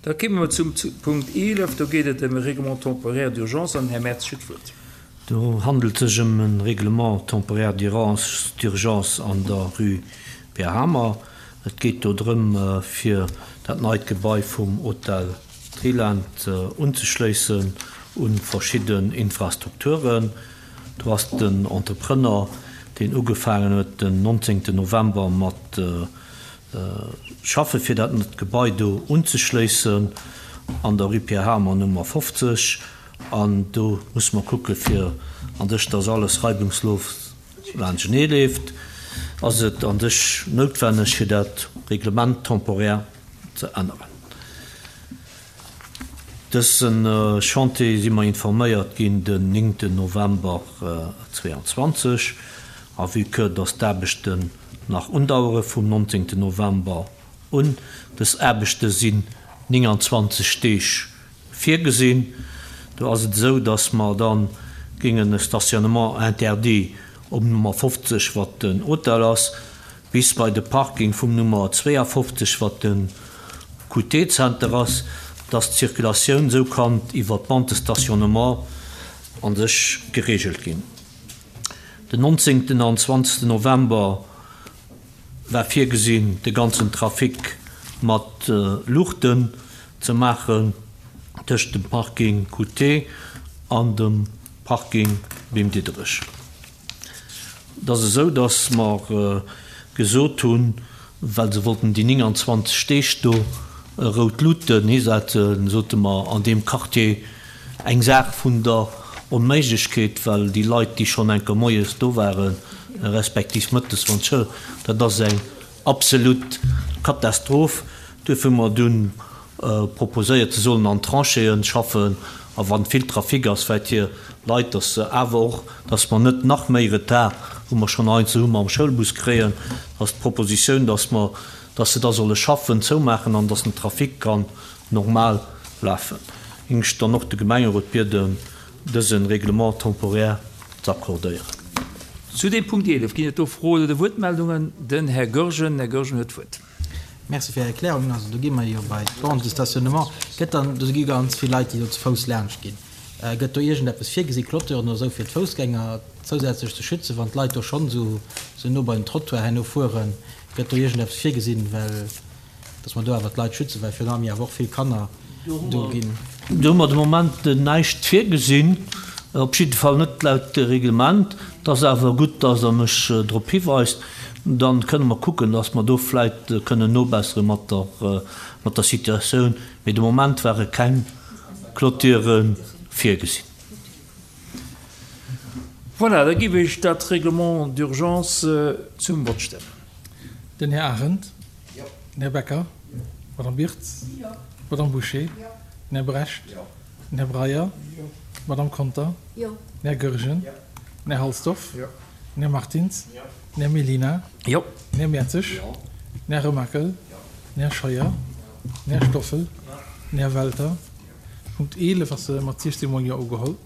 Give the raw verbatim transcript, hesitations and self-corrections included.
Da kéime mer zum Punkt eelef. Do geet et ëm e Règlement temporaire d'urgence an den Här Mertz huet d'Wuert. Do handelt sech ëm e Règlement temporaire d'urgence an der Rue Pierre Hamer. Et geet do drëm, fir dat neit Gebai vum Hotel Triland unzeschléissen u verschidden Infrastrukturen. Do ass den Entrepreneur, deen ugefaangen huet den nonzéngten November mat schaffe fir dat Gebai do unzeschléissen an der Rue Pierre Hamer Nummer fofzeg. An do musse mer kucke fir an sech, dass alles reibungslos laanschtenee leeft, ass et an sech noutwenneg fir dat Règlement temporaire ze änneren. Dëse Chantier si mer informéiert ginn den néngten November zweeanzwanzeg. A vue que dass d'Aarbechten nach undauere vum nonzéngten November un, dës Aarbechte sinn nénganzwanzeg Deeg virgesinn, do ass et esou, dass mer da géingen e Stationnement interdit op Nummer fofzeg, wat den Hotel ass, bis bei de Parking vum Nummer zweeafofzeg, wat de Q T-Zenter ass, dass d'Circulatioun esou kann iwwer d'Bande de stationnement an sech geregelt ginn. Den nonzéngten an zwanzegsten November war virgesinn, de ganzen Trafic mat Luuchten ze maachen tëscht dem Parking Q T an dem Parking Bim Diderich. Et ass esou, dass mer gesot hunn, well se wollten déi nénganzwanzeg Deeg do rout Luuten hisetzen, sote mer an deem Quartier eng Saach vun der Onméiglechkeet, well déi Leit, déi schonn enker moies do waren, respektiv mëttes, wann d'Schoul, dat ass eng absolut Katastroph. Duerfir hu mer dunn proposéiert, se sollen an Tranchéeën schaffen, a wann vill Trafic ass, vläicht hir Leit, dass se awer och, dass mer net nach méi Retard, wou mer schonn einzel hu mam Schoulbus kréien, ass d'Propositioun, dass mer, dass se da solle schaffen, zoumaachen an dass den Trafic kann normal lafen. Géing ech dann och de Gemengerot bieden, dëse Règlement temporaire ze accordéieren. Zu dem Punkt eelef ginn et do Froen oder Wuertmeldungen. Den Här Goergen, Här Goergen huet d'Wuert. Merci fir Är Erklärung. Also do gi mer jo bei d'Bande de stationnement. Gëtt dann, do gi ganz vill Leit, déi do ze Fouss laanscht ginn. Gëtt do iergendeppes virgesi, Clôturen oder esou, fir d'Foussgänger zousätzlech ze schützen, wann d'Leit do schonn esou, esou no bei den Trottoir herno fueren? Gëtt do iergendeppes virgesinn, well dass mer do awer d'Leit schützen, well virun allem jo awer och vill Kanner do ginn? Do hu mer de Moment näischt virgesinn, op jidde Fall net laut Reglement. Et ass awer gutt, dass Der mech drop hiweist. Dann kënne mer kucken, dass mer do vläicht kënnen nobessere mat der, mat der Situatioun. Mee de Moment ware keng Clôture virgesinn. Voilà, da géif ech dat Règlement d'urgence zum Vott stellen. Den Här Arendt. Den Här Becker. Madame Birtz. Madame Bouché. Den Här Brecht. Den Här Breyer. Madame Conter. Den Här Goergen. Den Här Halsdorf. Den Här Martins. Den Här Mellina. Den Här Mertzig. Den Här Remakel. Den Här Scheuer. Den Här Stoffel. Den Här Welter. Punkt eelef ass mat siechzéng Mol Jo ugeholl.